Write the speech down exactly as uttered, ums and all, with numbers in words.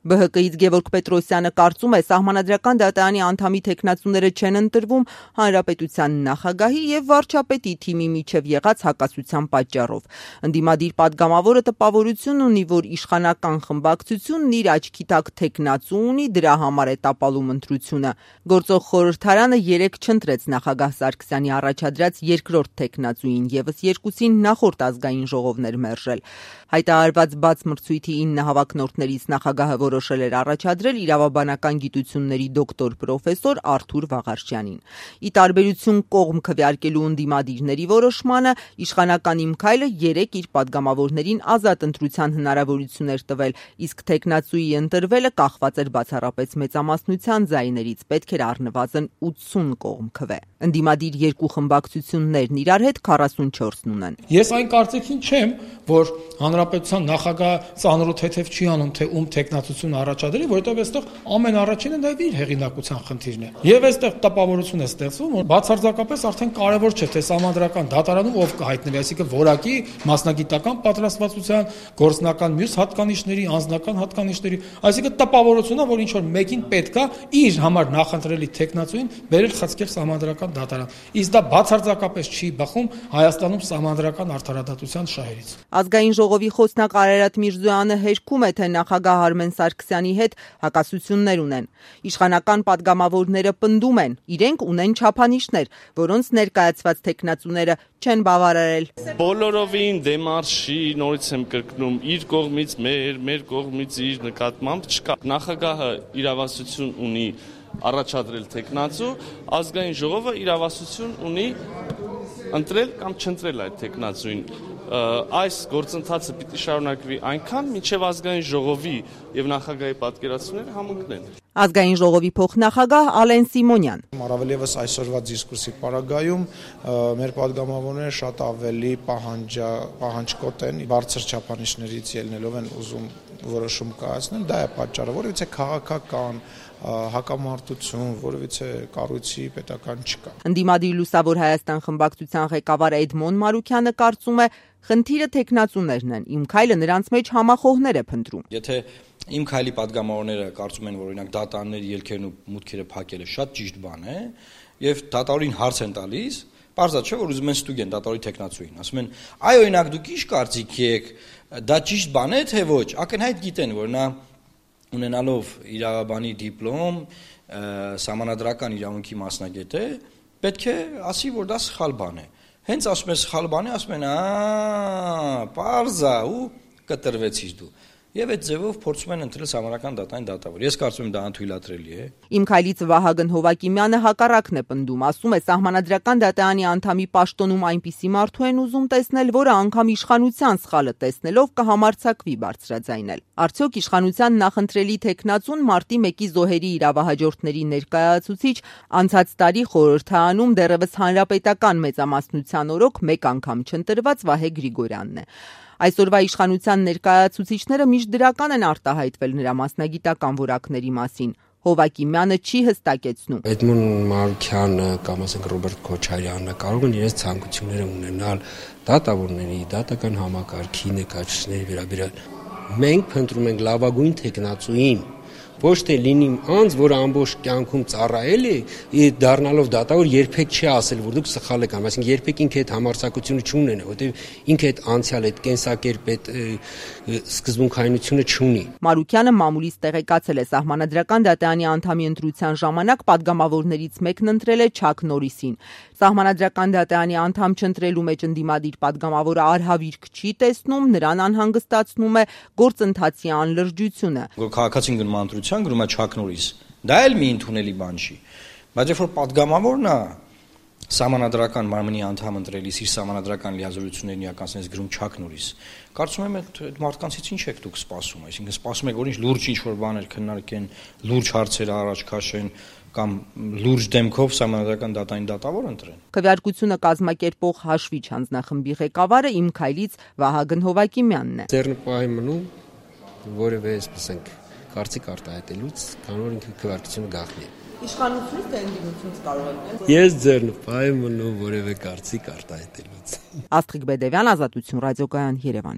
Բ Հ Կ-ից Գևորգ Պետրոսյանը կարծում է, Սահմանադրական դատարանի անդամի թեկնածուները չեն ընտրվում Հանրապետության նախագահի եւ վարչապետի թիմի միջև եղած հակասության պատճառով։ Ընդդիմադիր պատգամավորը տպավորություն ունի, որ իշխանական խմբակցությունն իր աչքի տակ թեկնածու ունի, դրա համար է տապալում ընտրությունը։ Գործող խորհրդարանը երեկ չընտրեց նախագահ Սարգսյանի առաջադրած երկրորդ թեկնածուին, եւս երկուսին նախորդ ազգային ժողովն էր մերժել։ Հայտարարված բաց մրցույթի ինը հավակնորդներից նախագահը որոշել էր առաջադրել իրավաբանական գիտությունների դոկտոր պրոֆեսոր Արթուր Վաղարշյանին։ Ի տարբերություն կողմ քվեարկելու ընդդիմադիրների որոշմանը, իշխանական Իմ քայլը երեկ իր պատգամավորներին ազատ ընտրության հնարավորություն էր տվել, իսկ թեկնածուի ընտրվելը կախված էր բացառապես մեծամասնության ձայներից, պետք էր առնվազն ութսուն կողմ քվե։ Ընդդիմադիր երկու խմբակցություններն իրար հետ քառասունչորսն ունեն։ Ես այն կարծիքին չեմ, որ հանրապետության նախագահը ծանրոթ թեթև չի անում, թե ում թեկնածություն առաջադրի, որովհետև այստեղ ամեն առաջինը դա իր հեղինակության խնդիրն է։ Եվ այստեղ տպավորություն է ստեղծվում, որ բացարձակապես արդեն կարևոր չէ, թե Սահմանադրական դատարանում ով կհայտնվի, այսինքն որակի, մասնագիտական պատրաստվածության, գործնական մյուս հատկանիշների, անձնական հատկանիշների, այսինքն տպավորությունն է, որ ինչ որ մեկին պետք է իր համար նախընտրելի թեկնածուին բերել խցկել Սահմանադրական դատարան։ Իսկ դա բացարձակապես չի բխում Հայաստանում Սահմանադրական արդարադատության շահերից։ Ազգային ժողովի խոսնակ Արարատ Միրզոյանը հերքում է, թե նախագահ Արմեն Սարգսյանի հետ հակասություններ ունեն։ Իշխանական պատգամավորները պնդում են, իրենք ունեն չափանիշներ, որոնց ներկայացված թեկնածուները չեն բավարարել։ Բոլորովին դեմարշի, նորից եմ կրկնում, իր կողմից մեր, մեր կողմից իր նկատմամբ չկա։ Նախագահը իրավասություն ունի առաջադրել թեկնածու, ազգային ժողովը իրավասություն ունի ընտրել կամ չընտրել այդ թեկնածուին։ Այս գործընթացը պիտի շարունակվի այնքան, մինչև ազգային ժողովի եւ նախագահի պատկերացումները համընկնեն։ Ազգային ժողովի փոխնախագահ Ալեն Սիմոնյան։ Առավել եւս այսօրվա դիսկուրսի պարագայում մեր պատգամավորները շատ ավելի պահանջա պահանջկոտ են, բարձր չափանիշներից ելնելով են ուզում որոշում կայացնել, դա է պատճառը, որովհետեւ քաղաքական հակամարտություն, որովհետեւ կառույցի պետական չկա։ Ընդդիմադիր Լուսավոր Հայաստան խմբակցության ղեկավար Էդմոն Մարուքյանը կարծում է, խնդիրը թեկնածուներն են, Իմ քայլը նրանց մեջ համախոհներ է փնտրում։ Եթե Իմ քայլի պատգամավորները կարծում են, որ օրինակ դատարանների ելքերն ու մուտքերը փակելը շատ ճիշտ բան է, եւ դատարանին հարց են տալիս, պարզա չէ, որ ուզում են ստուգեն դատարանի թեկնածուին, ասում են, այ օրինակ դուք ի՞նչ կարծիք եք, դա ճիշտ բան է թե ոչ, ակնհայտ գիտեն, որ նա ունենալով իրավաբանի դիպլոմ, սահմանադրական իրավունքի մասնագետ է, պետք է ասի, որ դա սխալ բան է։ Հենց ասում է սխալ բան է, ասում են, «Ա, պարզա» ու կտրվեցիր դու։ Եվ այդ ձևով փորձում են ընտրել Սահմանադրական դատարանի դատավոր։ Ես կարծում եմ դա անթույլատրելի է։ Իմ քայլից Վահագն Հովակիմյանը հակառակն է պնդում, ասում է, Սահմանադրական դատարանի անդամի պաշտոնում այնպիսի մարդու են ուզում տեսնել, որը անգամ իշխանության սխալը տեսնելով կհամարձակվի բարձրաձայնել։ Արդյոք իշխանության նախընտրելի թեկնածուն մարտի մեկի զոհերի իրավահաջորդների ներկայացուցիչ անցած տարի խորհրդարանում դեռևս հանրապետական մեծամասնության օրոք մեկ անգամ չընտրված Վահե Գրիգորյանն է։ Այսօրվա իշխանության ներկայացուցիչները միշտ դրական են արտահայտվել նրա մասնագիտական որակների մասին։ Հովակիմյանը չի հստակեցնում։ Էդմոն Մարուքյանը կամ ասենք Ռոբերտ Քոչարյանը կարող են իրենց ցանկությունները ունենալ դատավորների, դատական համակարգի ներկայացուցիչների վերաբերյալ։ Մենք փնտրում ենք լավագույն թեկնածուին, ոչ թե լինի անձ, որը ամբողջ կյանքում ծառայել է, դառնալով դատավոր երբեք չի ասել, որ դուք սխալ եք անում, այսինքն երբեք ինքը այդ համարձակությունը չունենա, որտեղ ինքը այդ անցյալ, այդ կենսակերպ, այդ սկզբունքայնությունը չունի։ Մարուքյանը մամուլից տեղեկացել է Սահմանադրական դատարանի անդամի ընտրության ժամանակ պատգամավորներից մեկն ընտրել է Չակ Նորիսին։ Սահմանադրական դատարանի անդամ չընտրելու մեջ ընդդիմադիր պատգամավորը արհավիրք չի տեսնում, նրան անհանգստացնում է գործընթացի անլրջությունը։ Որ քաղաքացին գնում ընտրության գրում է Չակ Նորիս։ Դա էլ մի ընդունելի բան չի։ Բայց երբ որ պատգամավորն է Սահմանադրական մարմնի անդամ ընտրելիս իր սահմանադրական լիազորություններն իրականացնելիս գրում Չակ Նորիս, կարծում եմ այդ մարդկանցից ինչ եք դուք սպասում, այսինքն սպասում եք, որ ինչ լուրջ ինչ-որ բաներ քննարկեն, լուրջ հարցեր առաջ քաշեն կամ լուրջ դեմքով Սահմանադրական դատարանի դատավոր ընտրեն։ Քվեարկությունը կազմակերպող Հաշվիչ հանձնախմբի ղեկավարը Իմ քայլից Վահագն Հովակիմյանն է։ Ձեռնպահի մնում որևէ, ասենք, կարծիք արտահայտելուց, քանի որ ինքը քվեարկությունը գաղտնի է։ Իշխանությունից թե ընդդիմությունից կարող եք։ Ես ձեռնպահի մնում որևէ կարծիք արտահայտելուց։ Աստղիկ Բեդևյան, Ազատություն, Ռադիոկայան, Երևան։